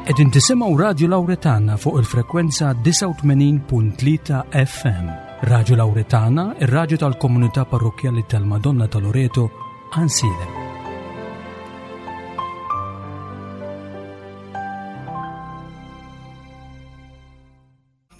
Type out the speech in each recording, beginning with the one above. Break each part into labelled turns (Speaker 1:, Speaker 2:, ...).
Speaker 1: Qegħdin tisimgħu Radju Lawretana fuq il-frekwenza 89.3 FM. Radju Lawretana, ir-radju tal-komunità parrokkjali tal-Madonna ta' Loreto, Ansilem.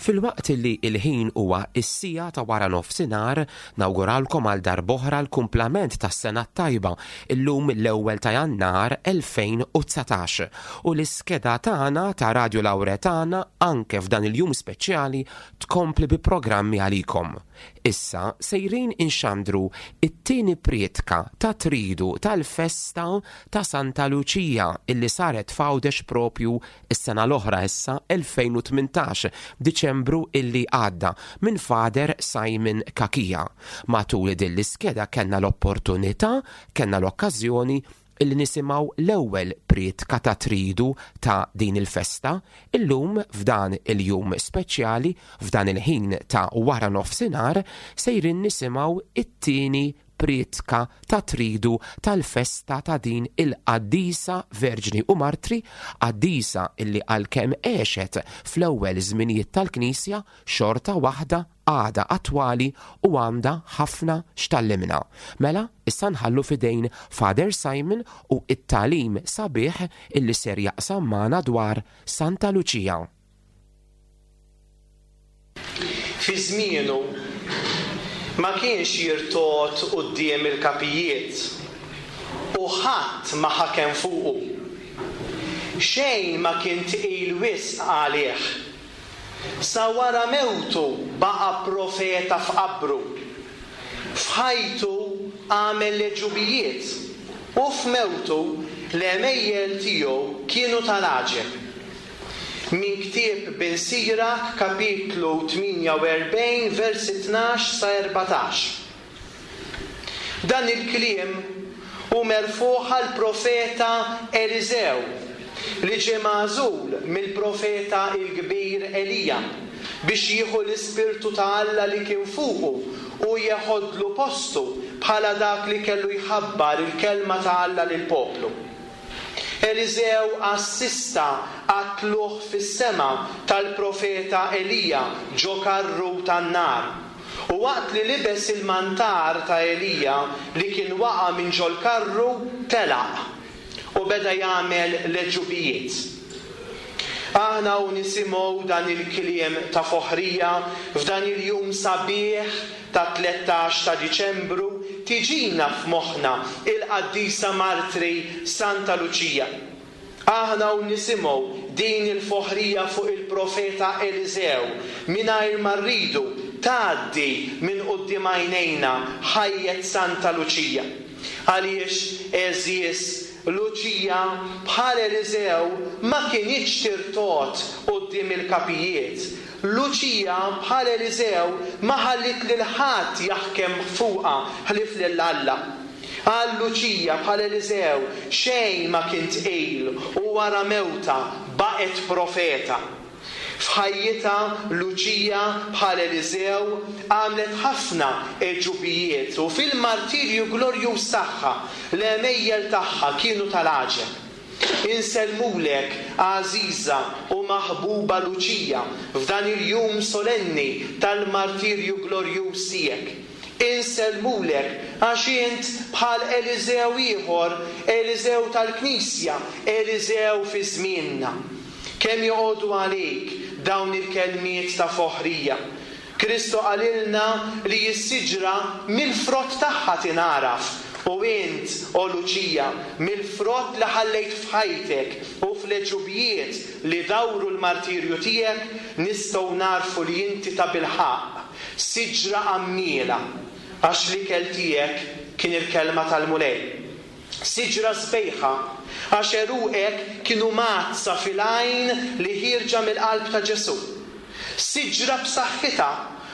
Speaker 2: Filwaqt li l-ħin huwa s-siegħa ta' wara nofsinhar, nawguralkom għal darb'oħra l-kumplament tas-sena t-tajba, illum l-ewwel ta' Jannar 2019. U l-iskeda tagħna ta' Radju Lawretana anke f'dan il-jum speċjali tkompli bi programmi għalikom. Issa sejrin inxandru t-tieni prietka ta' tridu tal-festa ta' Santa Luċija illi saret f'Għawdex propju is-sena l-oħra issa 2018, Diċembru illi għadda, minn Father Simon Cachia. Matul din l-iskeda kellna l-opportunità, kellna l-okkażjoni illi nisimgħu l-ewwel prietka ta' tridu ta' din il-festa, illum f'dan il-jum speċjali, f'dan il-ħin ta' wara nofsinhar, sejrin nisimgħu it-tieni prietka ta' tridu tal-festa ta' din il-qaddisa Verġni u Martri, qaddisa illi għalkemm għexet fl-ewwel żminijiet tal-Knisja, xorta waħda għadha attwali u għandha ħafna x'tgħallimna. Mela, issa nħallu f'idejn Father Simon u t-tagħlim sabiħ illi ser jaqsam magħna dwar Santa Luċija.
Speaker 3: Fi żmienu, ma kienx jirtogħod quddiem il-kapijiet, u ħadd ma ħakem fuqu. Xejn ma kien tqil wisq għalih. Sa wara mewtu baqa' profeta f'qabru. F'ħajtu għamel l-għeġubijiet, u f'mewtu l-għemejjel tiegħu kienu tal-għaġeb. Minn ktieb Bin Sirak, kapitlu 48, versi 12 sa 14. Dan il-kliem hu merfugħ għall-profeta Eliżew, li ġie magħżul mill-profeta l-kbir Elija biex jieħu l-ispirtu ta' Alla li kien fuqu u jeħodlu postu bħala dak li kellu jħabbar il-kelma ta' Alla lill-poplu. Eliżew assista għat-tlugħ fis-sema tal-profeta Elija ġo karru tan-nar. U waqt li libes il-mantar ta' Elija li kien waqa' minn ġol-karru, telaq u beda jagħmel l-għeġubijiet. Aħna u nisimgħu dan il-kliem ta' foħrija f'dan il-jum sabiħ tat-13 ta' Diċembru tiġina f'moħħna il-qaddisa martri Santa Luċija. Aħna u nisimgħu din il-foħrija fuq il-profeta Eliżew, mingħajr ma rridu, tgħaddi minn quddiem għajnejna ħajjet Santa Luċija. Għaliex, għeżież, Luċija, bħal Eliżew, ma kinitx tirtogħod quddiem il-kapijiet, Luċija, bħal Eliżew, ma ħalliet lil ħadd jaħkem fuqha ħlief lil Alla. Għal Luċija, bħal Eliżew, xejn ma kien tqil u wara mewtha baqgħet profeta. F'ħajjitha, Luċija, bħal Eliżew, għamlet ħafna għeġubijiet u fil-martirju glorjuż tagħha, l-għemejjel tagħha kienu tal-għaġeb. Insellmulek, għażiża u maħbuba Luċija, f'dan il-jum solenni tal-martirju glorjuż tiegħek. Insellmulek għax int bħal Eliżew ieħor, Eliżew tal-Knisja, Eliżew fi żmienna. Kemm joqogħdu għalik dawn il-kelmiet ta' foħrija! Kristu qalilna li s-siġra mill-frott tagħha tingħaraf, u int, o Luċija, mill-frott li ħallejt f'ħajtek u fl-għeġubijiet li dawru l-martirju tiegħek, nistgħu nagħrfu li inti tabilħaqq siġra għammiela, għax l-ikel tiegħek kien il-Kelma tal-Mulej. Siġra sbejħa, għax għeruqek kienu mgħaddsa fil-għajn li ħierġa mill-qalb ta' Ġesù. Siġra b'saħħitha,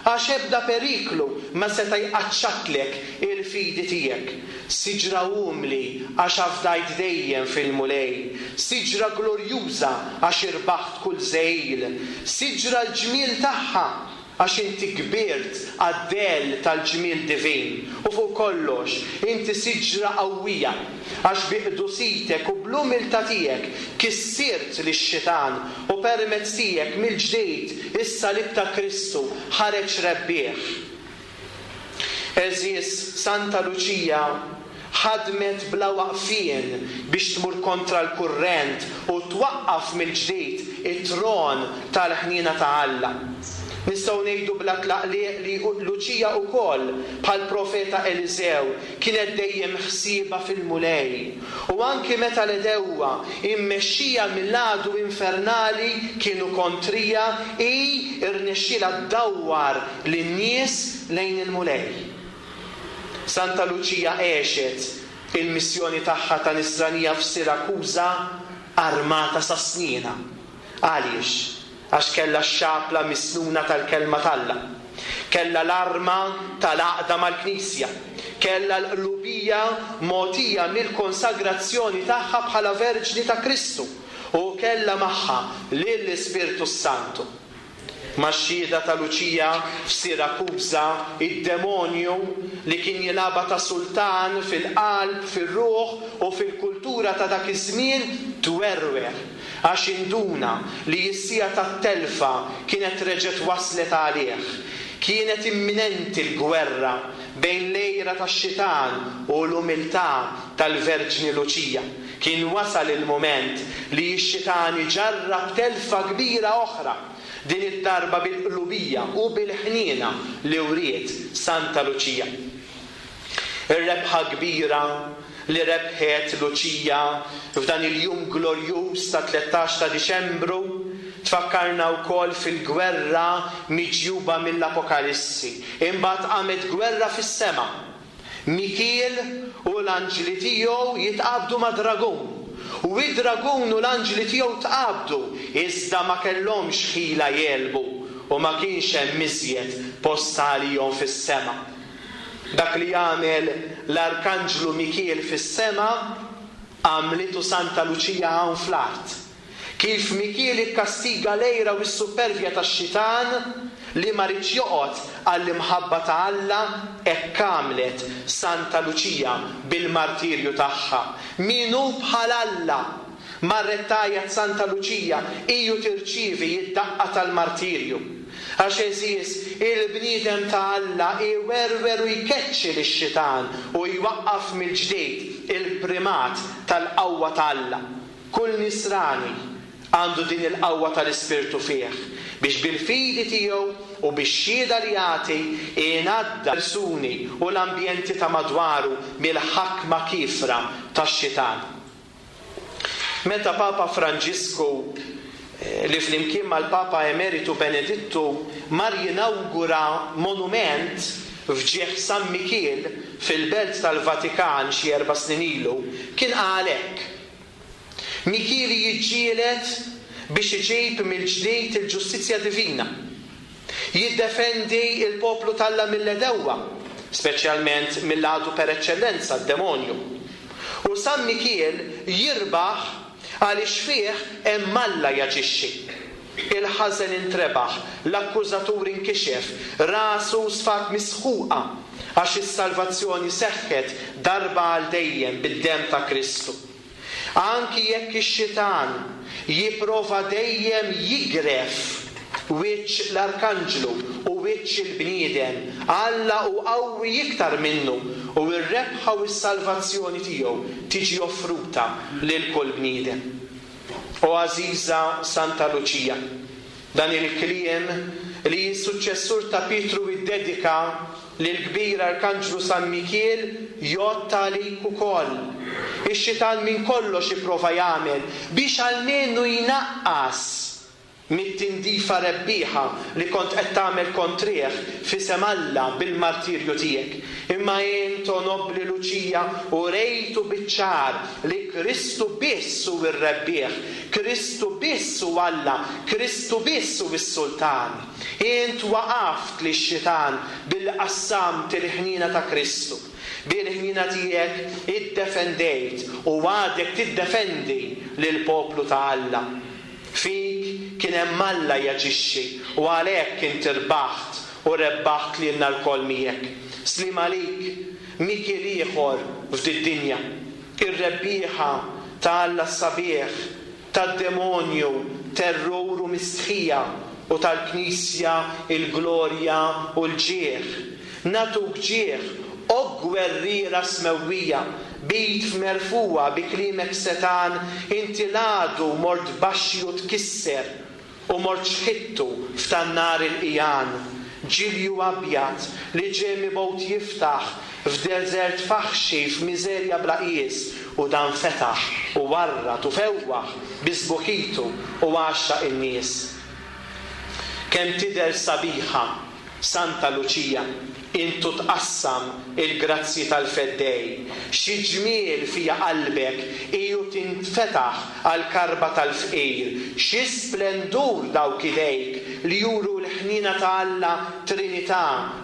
Speaker 3: għax ebda periklu ma seta' jqaċċatlek il-fidi tiegħek. Siġra umli, għax afdajt dejjem fil-Mulej. Siġra glorjuża, għax irbaħt kull żegħil. Siġra l-ġmiel tagħha. Għax inti kbirt għad-dell tal-ġmiel divin, u fuq kollox, inti siġra qawwija, għax bi qdusitek u bl-umiltà tiegħek kissirt lix-xitan u permezz tiegħek mill-ġdid is-salib ta' Kristu ħareġ rebbieħ. Għeżież, Santa Luċija ħadmet bla waqfien biex tmur kontra l-kurrent u twaqqaf mill-ġdid it-tron tal-ħniena ta' Alla. Nistgħu ngħidu bla tlaqliq li Luċija wkoll, bħall-profeta Eliżew, kienet dejjem ħsiebha fil-Mulej. U anki meta l-għedewwa, immexxija mill-għadu infernali, kienu kontrija, hi rnexxielha ddawwar lin-nies lejn il-Mulej. Santa Luċija għexet il-missjoni tagħha ta' nisranija f'Sirakuża armata sa snienha. Għaliex? Għax kellha x-xapla misnuna tal-Kelma t'Alla. Kellha l-arma tal-għaqda mal-Knisja. Kellha l-qlubija mogħtija mill-konsagrazzjoni tagħha bħala Verġni ta' Kristu u kellha magħha lill-Ispirtu s-Santu. Max-xhieda ta' Luċija f'Sirakuża, id-demonju, li kien jilgħabha ta' sultan fil-qalb, fir-ruħ u fil-kultura ta' dak iż-żmien, twerwer għax induna li s-siegħa tat-telfa kienet reġgħet waslet għalih. Kienet imminenti l-gwerra bejn l-għira tax-xitan u l-umiltà tal-Verġni Luċija. Kien wasal il-mument li x-xitan iġarrab telfa kbira oħra, din id-darba bil-qlubija u bil-ħniena li wriet Santa Luċija. Ir-rebħa kbira li rebħet Luċija f'dan il-jum glorjuż tat-13 ta' Diċembru tfakkarna wkoll fil-gwerra miġjuba mill-Apokalissi. Imbagħad qamet gwerra fis-sema. Mikiel u l-anġli tiegħu jitqabdu mad-dragun. U id-dragun u l-anġli tiegħu tqabdu, iżda ma kellhomx ħila jegħlbu, u ma kienx hemm iżjed post għalihom fis-sema. Dak li għamel l-Arkanġlu Mikiel fis-sema, għamlitu Santa Luċija hawn fl-art. Kif Mikiel ikkastiga l-għira u s-suppervja tax-xitan li ma riedx joqgħod għall-imħabba ta' Alla, hekk għamlet Santa Luċija bil-martirju tagħha. Min hu bħal Alla? Marret tgħajjat Santa Luċija hi u tirċievi d-daqqa tal-martirju. Għax għeżież, il-bniedem ta' Alla iwerwer u jkeċċi lix-xitan u jwaqqaf mill-ġdid il-primat tal-qawwa ta' Alla. Kull Nisrani għandu din il-qawwa tal-Ispirtu fih, biex bil-fidi tiegħu u bix-xhieda li jagħti jnaddaf persuni u l-ambjenti ta' madwaru mill-ħakma kiefra tax-xitan. Meta Papa Franġisku, li flimkien mal-Papa Emeritu Benedittu mar jinawgura monument f'ġieħ San Mikiel fil-Belt tal-Vatikan xi erba' snin ilu, kien qal hekk, Mikieli jiġġieled biex iġib mill-ġdid il-ġustizzja divina, jiddefendi l-poplu t'Alla mill-għedewwa, speċjalment mill-għadu per eċċellenza, d-demonju. U San Mikiel jirbaħ għaliex fih hemm Alla jaġixxi. Il-ħażen intrebaħ, l-akkużatur inkixef, rasu sfat misħuqa, għax is-salvazzjoni seħħet darba għal dejjem bid-demm ta' Kristu. Anki jekk ix-xitan jipprova dejjem jigref wiċċ l-arkanġlu u wiċċ il-bniedem, Alla hu qawwi iktar minnu u r-rebħa u s-salvazzjoni tiegħu tiġi offruta lil kull bniedem. O għażiża Santa Luċija, dan il-kliem li s-suċċessur ta' Pietru iddedika lill-kbir Arkanġlu San Mikiel jgħodd għalik ukoll. Ix-xitan minn kollox ipprova jagħmel biex almenu jnaqqas mit-tindifa rebbieħa li kont qed tagħmel kontrih f'isem Alla bil-martirju tiegħek. Imma int, o nobbli Luċija, urejtu biċ-ċar li Kristu biss hu r-rebbieħ, Kristu biss hu Alla, Kristu biss hu s-Sultan. Int waqaft lix-xitan billi qassamt il-ħniena ta' Kristu. Bil-ħniena tiegħek iddefendejt u għadek tiddefendi lill-poplu ta' Alla. Fik kien hemm Alla jaġixxi U għalhekk int irbaħt u rebbaħt lilna lkoll miegħek. Sliem għalik, Mikiel ieħor f'did-dinja, ir-rebbieħa ta' Alla s-sabiħ, tad-demonju terrur u mistħija u tal-Knisja l-glorja u l-ġieħ. Nagħtuk ġieħ, o gwerriera smewwija, b'id f'merfugħa bi kliemek setgħan inti l-għadu mort tbaxxi u tkisser u mort xħittu f'tan-nar il-qigħan, ġilju abjad li ġie mibgħut jiftaħ f'deżert faħxi f'miżerja bla qies, u dan fetaħ u warrad u fewwaħ bi sbuħitu u għaxxaq in-nies. Kemm tidher sabiħa Santa Luċija, int u tqassam il-grazzji tal-Feddej. Xi ġmiel fiha qalbek hi u tinfetaħ għall-karba tal-fqir. Xi splendur dawk idejk li juru l-ħniena ta' Alla Trinità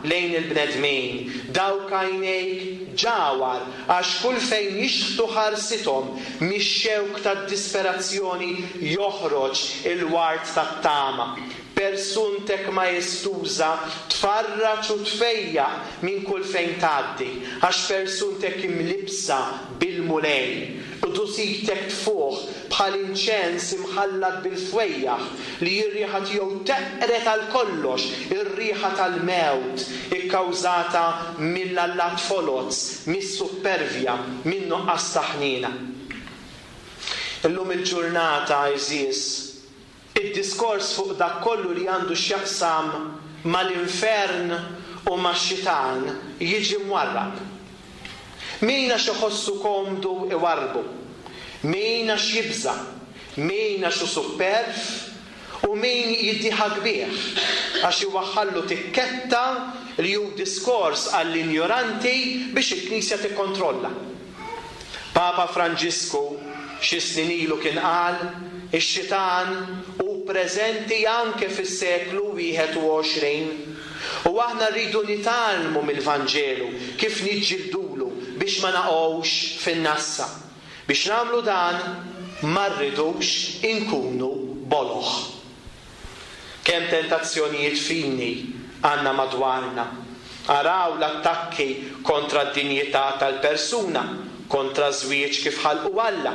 Speaker 3: lejn il-bnedmin. Dawk għajnejk ġawhar għax kull fejn jixħtu ħarsithom mix-xewk tad-disperazzjoni joħroġ il-ward tat-tama. Persuntek maestuża tfarraġ u tfejjaq minn kull fejn tgħaddi, għax persuntek imlibbsa bil-Mulej. Qdusitek tfuħ bħal inċens imħallat bil-fwejjaħ, li r-riħa tiegħu teqred għal kollox ir-riħa tal-mewt ikkawżata mill-allat foloz, mis-suppervja, min-nuqqas ta' ħniena. Illum il-ġurnata, għeżież, Id-diskors fuq dak kollu li għandu x'jaqsam mal-infern u max-xitan jiġi mwarrab. Min għax iħossu komdu iwarrbu, min għax jibża', min għax hu supperv u min jiddieħak bih għax iwaħħallu tikketta li hu diskors għall-injoranti biex il-Knisja tikkontrolla. Papa Franġisku xi snin ilu kien qal, Ix-xitan hu preżenti anke fis-seklu 21. U aħna rridu nitgħallmu mill-Vanġelu kif niġġildulu biex ma naqgħux fin-nassa. Biex nagħmlu dan ma rridux inkunu boloh. Kemm tentazzjonijiet fini għandna madwarna! Araw l-attakki kontra d-dinjità tal-persuna, kontra ż-żwieġ kif ħalqu Alla,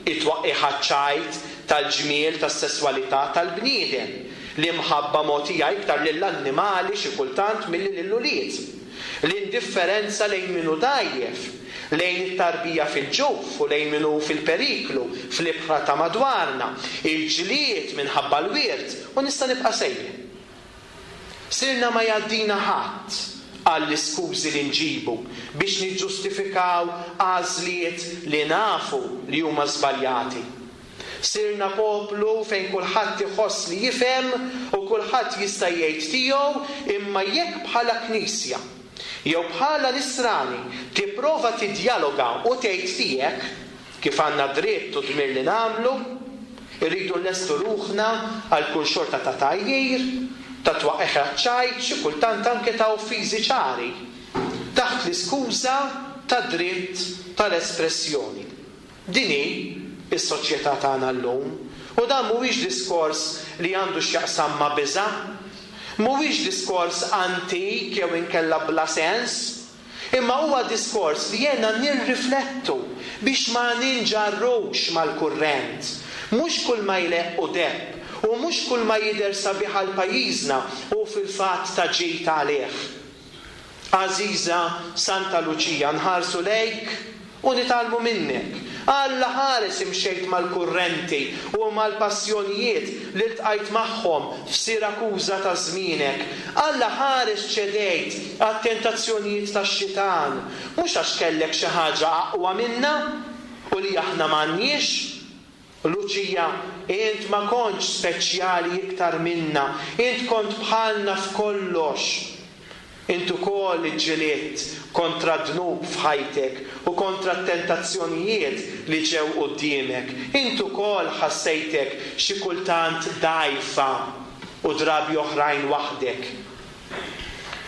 Speaker 3: it-twaqqigħ għaċ-ċajt tal-ġmiel tas-sesswalità tal-bniedem, l-imħabba mogħtija iktar lill-annimali xi kultant milli lill-ulied, l-indifferenza lejn min hu dgħajjef, lejn it-tarbija fil-ġuf u lejn min hu fil-periklu fl-ibħra ta' madwarna, il-ġlied minħabba l-wirt, u nista' nibqa' sejjer. Sirna ma jgħaddina ħadd għall-iskużi li nġibu biex niġġustifikaw għażliet li nafu li huma żbaljati. Sirna poplu fejn kulħadd iħoss li jifhem u kulħadd jista' jgħid tiegħu imma jekk bħala Knisja jew bħala Nisrani tipprova tiddjaloga u tgħid tiegħek, kif għandna dritt u dmir li nagħmlu, irridu nlestu ruħna għal kull xorta ta' tgħajjir, ta' twaqqigħ għaċ-ċajt, xi kultant anke ta' offiżi ċari, taħt l-iskuża tad-dritt tal-espressjoni. Din hi s-soċjetà tagħna llum. U dan mhuwiex diskors li għandu x'jaqsam ma' biża'. Mhuwiex diskors antik jew inkella bla sens. Imma huwa diskors li għenna nirriflettu biex ma ninġarrux mal-kurrent. Mhux kull ma jleqq hu deheb u mhux kull ma jidher sabiħ għal pajjiżna hu fil-fatt ta' ġid għalih. Għażiża Santa Luċija nħarsu lejk u nitgħallmu minnek. Alla ħares imxejt mal-kurrenti u mal-passjonijiet li ltqajt magħhom f'Sirakuża ta' żmienek. Alla ħares ċedejt għat-tentazzjonijiet tax-xitan, mhux għax kellek xi ħaġa aqwa minna u li aħna m'għandniex, Luċija, int ma kontx speċjali iktar minna, int kont bħalna f'kollox. Int ukoll iġġilidt kontra d-dnub f'ħajtek u kontra t-tentazzjonijiet li ġew quddiemek. Int ukoll ħassejtek xi kultant dgħajfa u drabi oħrajn waħdek.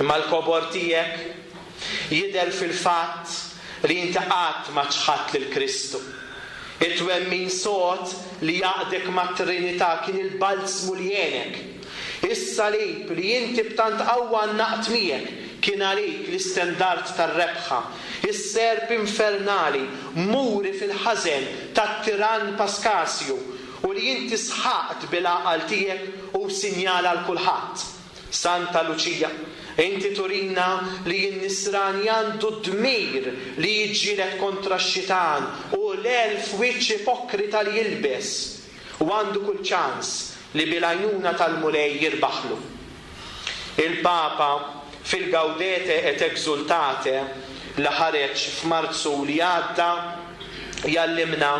Speaker 3: Imma l-kobor tiegħek jidher fil-fatt li inti qatt ma ċħadt lil Kristu. It-twemmin sod li għaqdek mat-Trinità kien il-balzmu li għenek. Is-salib li inti b'tant qawwa għannaqt miegħek kien għalik l-istendard tar-rebħa, is-serp infernali muri fil-ħażen tat-tirann Paskasju u li inti sħaqt bil-għaqal tiegħek hu sinjal għal kulħadd. Santa Luċija, inti turina li n-Nisrani għandu d-dmir li jiġġieled kontra x-xitan u l-elf wiċċ ipokrita li jilbes, u għandu kull ċans li bil-għajnuna tal-Mulej jirbaħlu. Il-Papa, fil-Gaudete et Exultate li ħareġ f'Marzu li għadda, jgħallimna,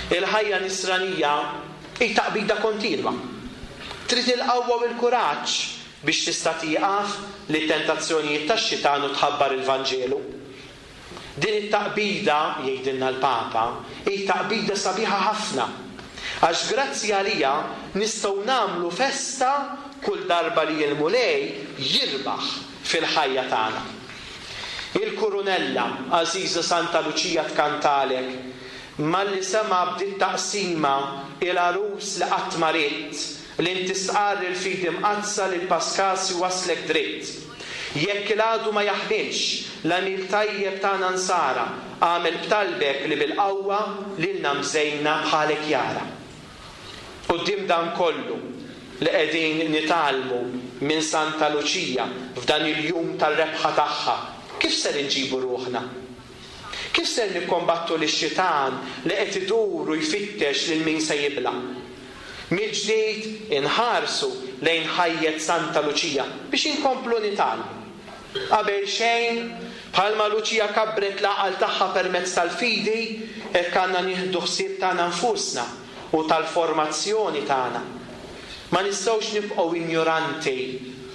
Speaker 3: Il-ħajja Nisranija hi taqbida kontinwa. Trid il-qawwa u l-kuraġġ biex tista' tieqaf lit-tentazzjonijiet tax-xitan u tħabbar il-Vanġelu. Din it-taqbida, jgħidilna l-Papa, hi taqbida sabiħa ħafna, għax grazzi għaliha nistgħu nagħmlu festa kull darba li l-Mulej jirbaħ fil-ħajja tagħna. Il-Kurunella, għażiża Santa Luċija tkantalek, malli sema' b'dit-taqsima il-għarus li qatt ma ridt, li inti stqarr il-fidi mqaddsa lil Paskasju waslek dritt. Jekk il-għadu ma jaħmilx l-għemil tajjeb tagħna nsara, agħmel b'talbek li bil-qawwa lilna mżejna bħalek jara. Quddiem dan kollu li qegħdin nitgħallmu minn Santa Luċija f'dan il-jum tar-rebħa tagħha, kif ser inġibu ruħna? Kif ser nikkombattu lix-xitan li qed idur u jfittex lil min se jibla'? Mill-ġdid inħarsu lejn ħajjet Santa Luċija biex inkomplu nitgħallmu. Qabel xejn, bħalma Luċija kabbret l-għaqal tagħha permezz tal-fidi, hekk għandna nieħdu ħsieb tagħna nfusna u tal-formazzjoni tagħna. Ma nistgħux nibqgħu injoranti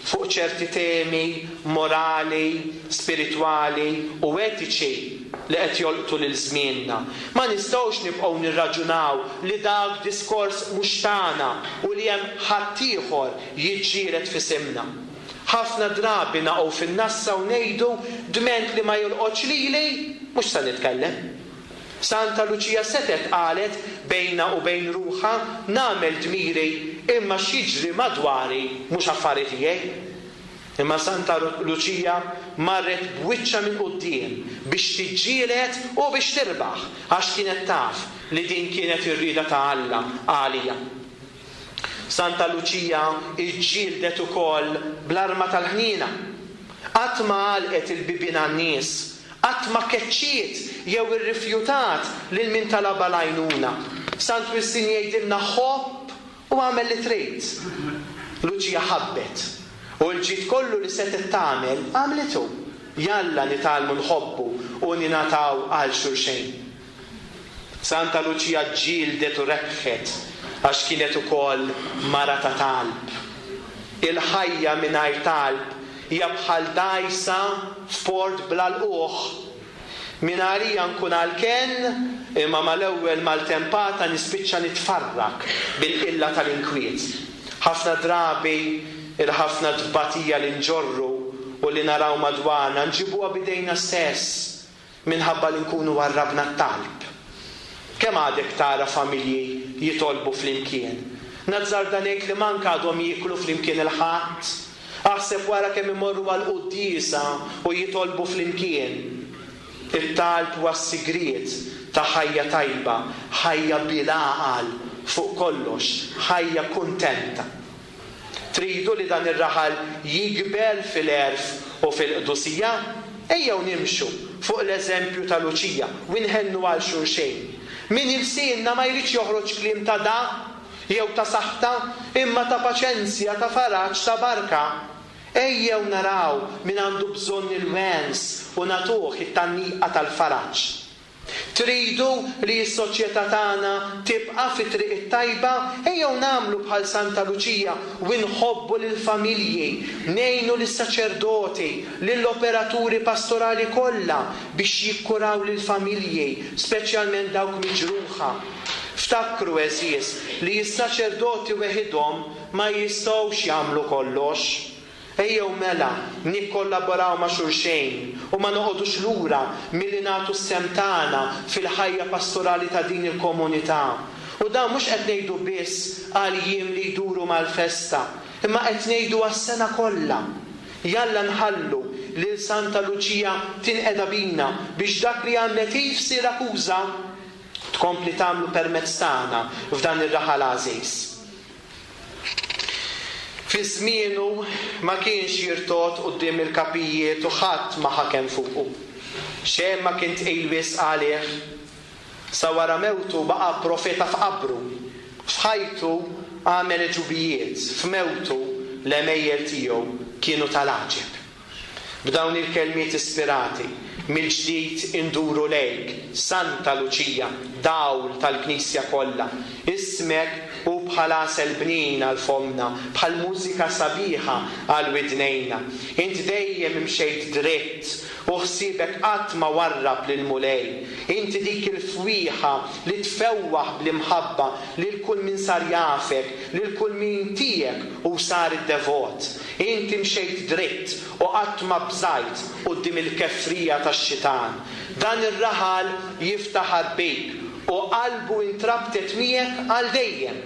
Speaker 3: fuq ċerti temi morali, spiritwali u etiċi li qed jolqtu lil żmienna. Ma nistgħux nibqgħu nirraġunaw li dak diskors mhux tagħna u li hemm ħaddieħor jiġġieled f'isimna. Ħafna drabi naqgħu fin-nassa u ngħidu dment li ma jolqotx lili, mhux se nitkellem. Santa Luċija setgħet qalet bejnha u bejn ruħha, nagħmel dmiri imma x'jiġri madwari mhux affari tiegħi. Imma Santa Luċija marret b'wiċċha minn quddiem biex tiġġieled u biex tirbaħ għax kienet taf li din kienet ir-rieda ta' Alla għaliha. Santa Luċija ġġieldet ukoll bl-arma tal-ħniena. Qatt ma għalqet il-bibien għan-nies, qatt ma keċċiet jew irrifjutat lil min talabha l-għajnuna. Sant Wistin jgħidilna ħobb u agħmel li trid. Luċija ħabbet, u l-ġid kollu li setgħet tagħmel, għamlitu. Jalla nitgħallmu nħobbu u ningħataw għal xulxejn. Santa Luċija ġġieldet u rebħet għax kienet ukoll mara ta' talb. Il-ħajja mingħajr talb hija bħal dgħajsa f'port bla lqugħ. Mingħalija nkun għall-kenn imma mal-ewwel maltempata nispiċċa nitfarrak bil-qilla tal-inkwiet. Ħafna drabi il-ħafna tbatija li nġorru u li naraw madwarna nġibuha b'idejna stess. Minħabba li nkunu warrabna t-talb. Kemm għadek tara familji jitolbu flimkien? Nazzarda ngħid li mank għadhom jieklu flimkien il-Ħadd. Aħseb wara kemm imorru għall-quddiesa u jitolbu flimkien. It-talb huwa s-sigriet ta' ħajja tajba, ħajja bil-għaqal, fuq kollox, ħajja kuntenta. Tridu li dan ir-raħal jikber fil-għerf u fil-qdusija? Ejjew nimxu fuq l-eżempju ta' Luċija u nħennu għal xulxejn. Minn ilsienna ma jridx joħroġ kliem ta' dagħa jew ta' saħta, imma ta' paċenzja, ta' faraġ, ta' barka. Ejjew naraw min għandu bżonn il-wens u nagħtuh it-tgħanniqa tal-faraġ. Tridu li s-soċjetà tagħna tibqa' fit-triq it-tajba? Ejjew nagħmlu bħal Santa Luċija u nħobbu lill-familji, ngħinu lis-saċerdoti, lill-operaturi pastorali kollha biex jikkuraw lill-familji, speċjalment dawk miġruħa. Ftakru, għeżież, li s-saċerdoti weħidhom ma jistgħux jagħmlu kollox. Ejjew mela nikkollaboraw ma' xulxejn u ma noqogħdux lura milli nagħtu s-sehem tagħna fil-ħajja pastorali ta' din il-komunità. U dan mhux qed ngħidu biss għal jiem li jduru mal-festa. Imma qed ngħidu għas-sena kollha. Jalla nħallu lil Santa Luċija tinqeda bina biex dak li għamlet hi f'Sirakuża tkompli tagħmlu permezz tagħna f'dan ir-raħal għażiż. Fi żmienu ma kienx jirtogħod quddiem il-kapijiet u ħadd ma ħakem fuqu. Xejn ma kien tqil wisq għalih. Sa wara mewtu baqa' profeta f'qabru. F'ħajtu għamel għeġubijiet, f'mewtu l-għemejjel tiegħu kienu tal-għaġeb. B'dawn il-kelmiet ispirati, mill-ġdid induru lejk, Santa Luċija, dawl tal-Knisja kollha. Ismek hu bħal għasel bnin għal fommna, bħal mużika sabiħa għal widnejna. Int dejjem imxejt dritt, u ħsiebek qatt ma warrab lill-Mulej. Inti dik il-fwieħa li tfewwaħ bl-imħabba lil kull min sar jafek, lil kull min tiegħek u sar id-devot. Inti mxejt dritt u qatt ma bżajt quddiem il-kefrija tax-xitan. Dan ir-raħal jiftaħar bik u qalbu intrabtet miegħek għal dejjem.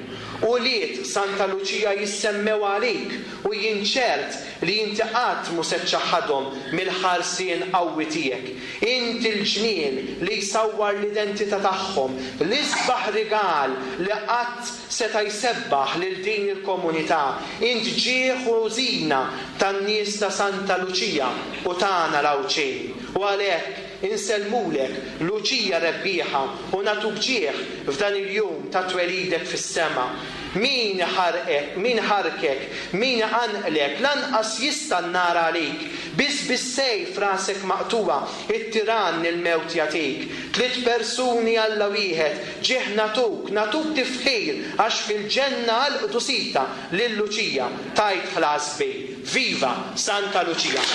Speaker 3: Ulied Santa Luċija jissemmew għalik u jien ċert li inti qatt mhu se ċċaħħadhom mill-ħarsien qawwi tiegħek. Inti l-ġmiel li jsawwar l-identità tagħhom, l-isbaħ rigal li qatt seta' jsebbaħ lil din il-komunità. Int ġieħ u żina tan-nies ta' Santa Luċija u tagħna l-Għawdxin. U għalhekk insellmulek, Luċija rebbieħa, u nagħtuk ġieħ f'dan il-jum ta' twelidek fis-sema. Min iħarqek, min iħarrkek, min iqanqlek, lanqas jista' n-nar għalik. Biss bis-sejf rasek maqtugħa, it-tirann il-mewt jagħtik. Tliet persuni Alla wieħed, ġieħ nagħtuk, nagħtuk tifħir għax fil-ġenna għall-qdusita lil Luċija tajt ħlas kbir. Viva Santa Lucia!